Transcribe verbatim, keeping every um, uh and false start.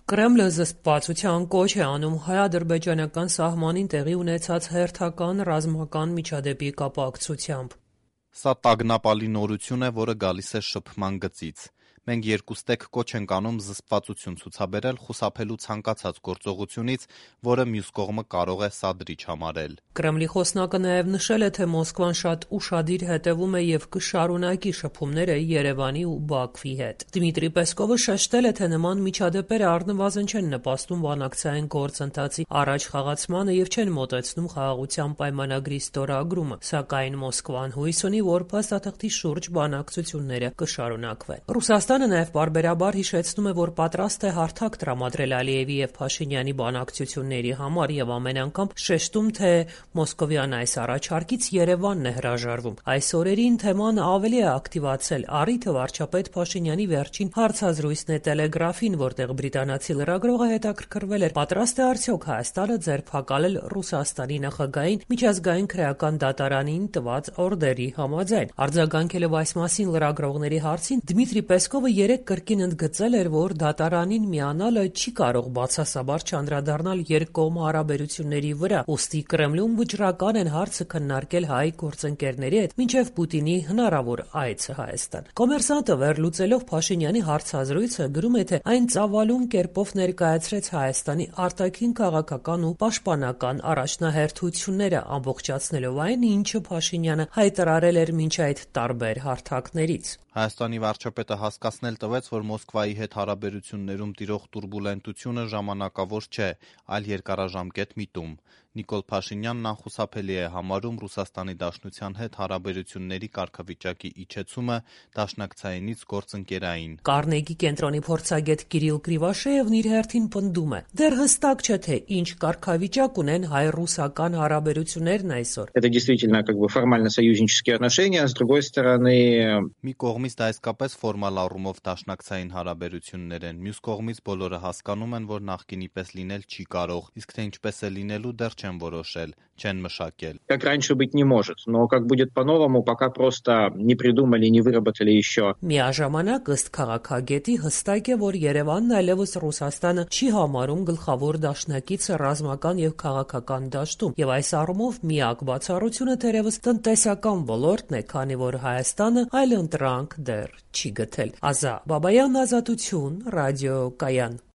Կրեմլը զսպվածության կոչ է անում հայ-ադրբեջանական սահմանին տեղի ունեցած հերթական ռազմական միջադեպի կապակցությամբ։ Սա տագնապալի նորություն է, որը գալիս է շփման գծից։ Մենք երկուստեք կոչ ենք անում զսպվածություն ցուցաբերել խուսափելու ցանկացած գործողությունից, որը մյուս կողմը կարող է սադրիչ համարել։ Կրեմլի խոսնակը նաև նշել է, թե Մոսկվան շատ ուշադիր հետևում է եւ կշարունակի շփումները Երևանի ու Բաքվի հետ։ Դմիտրի Պեսկովը շեշտել է, թե նման միջադեպերը առնվազն չեն նպաստում բանակցային գործընթացի առաջ խաղացմանը եւ չեն մոտեցնում խաղաղության պայմանագրի ստորագրումը, սակայն Մոսկվան հույս ունի, որ փաստաթղթի շուրջ բանակցությունները կշարունակվեն։ Ռուսաստանը նաև պարբերաբար հիշեցնում է, որ պատրաստ է հարթակ տրամադրել Ալիևի եւ Փաշինյանի բանակցությունների համար եւ ամեն անգամ շեշտում, թե մոսկովյան այս առաջարկից Երևանն է հրաժարվում։ Այս օրերին թեման ավելի է ակտիվացել առիթը վարչապետ Փաշինյանի վերջին հարցազրույցն է Տելեգրաֆին, որտեղ բրիտանացի լրագրողը հետաքրքրվել էր՝ պատրաստ է արդյոք Հայաստանը ձերբակալել Ռուսաստանի նախագահին միջազգային քրեական դատարանին տված օրդերի համաձայն։ Արձագանքելով այս մասին լրագրողների հարցին, Դմիտրի Պեսկովը երեկ կրկին ընդգծել էր, որ դատարանին միանալը չի կարող բացասաբար չանդրադառնալ երկկողմ հարաբերությունների վրա, ուստի Կրեմլում վճռական են հարցը քննարկել հայ գործընկերների հետ մինչև Պուտինի հնարավոր այցը Հայաստան։ Կոմերսանտը վերլուծելով Փաշինյանի հարցազրույցը գրում է, թե այն ծավալուն կերպով ներկայացրեց Հայաստանի արտաքին քաղաքական ու պաշտպանական առաջնահերթությունները, ամբողջացնելով այն, ինչը Փաշինյանը հայտարարել էր մինչ այդ տարբեր հարթակներից։ Հայաստանի վարչապետը հասկացնել տվեց, որ Մոսկվայի հետ հարաբերություններում տիրող տուրբուլենտությունը ժամանակավոր չէ, այլ երկարաժամկետ միտում։ Նիկոլ Փաշինյանն անխուսափելի է համարում Ռուսաստանի Դաշնության հետ հարաբերությունների կարգավիճակի իջեցումը դաշնակցայինից գործընկերային։ Կարնեգի կենտրոնի փորձագետ Կիրիլ Կրիվաշեևն իր հերթին պնդում է. դեռ հստակ չէ, թե ինչ կարգավիճակ ունեն հայ-ռուսական հարաբերություններն այսօր։ Это действительно как бы формально союзнические отношения, с другой стороны Մի կողմից դա իսկապես ֆորմալ առումով դաշնակցային հարաբերություններ են, մյուս կողմից բոլորը հասկանում են, որ նախկինի պես լինել չի կարող, իսկ թե ինչպես է լինելու դեռ չեն որոշել, չեն մշակել։ Как раньше быть не может, но как будет по-новому, пока просто не придумали, не выработали еще. Միաժամանակ ըստ քաղաքագետի հստակ է, որ Երևանն այլևս Ռուսաստանը չի համարում գլխավոր դաշնակիցը ռազմական եւ քաղաքական դաշտում, եւ այս առումով միակ բացառությունը թերևս տնտեսական ոլորտն է, քանի որ Հայաստանը այլ ընտրանք դեռ չի գտել։ Ազա Բաբայան, Ազատություն, Ռադիո Կայան։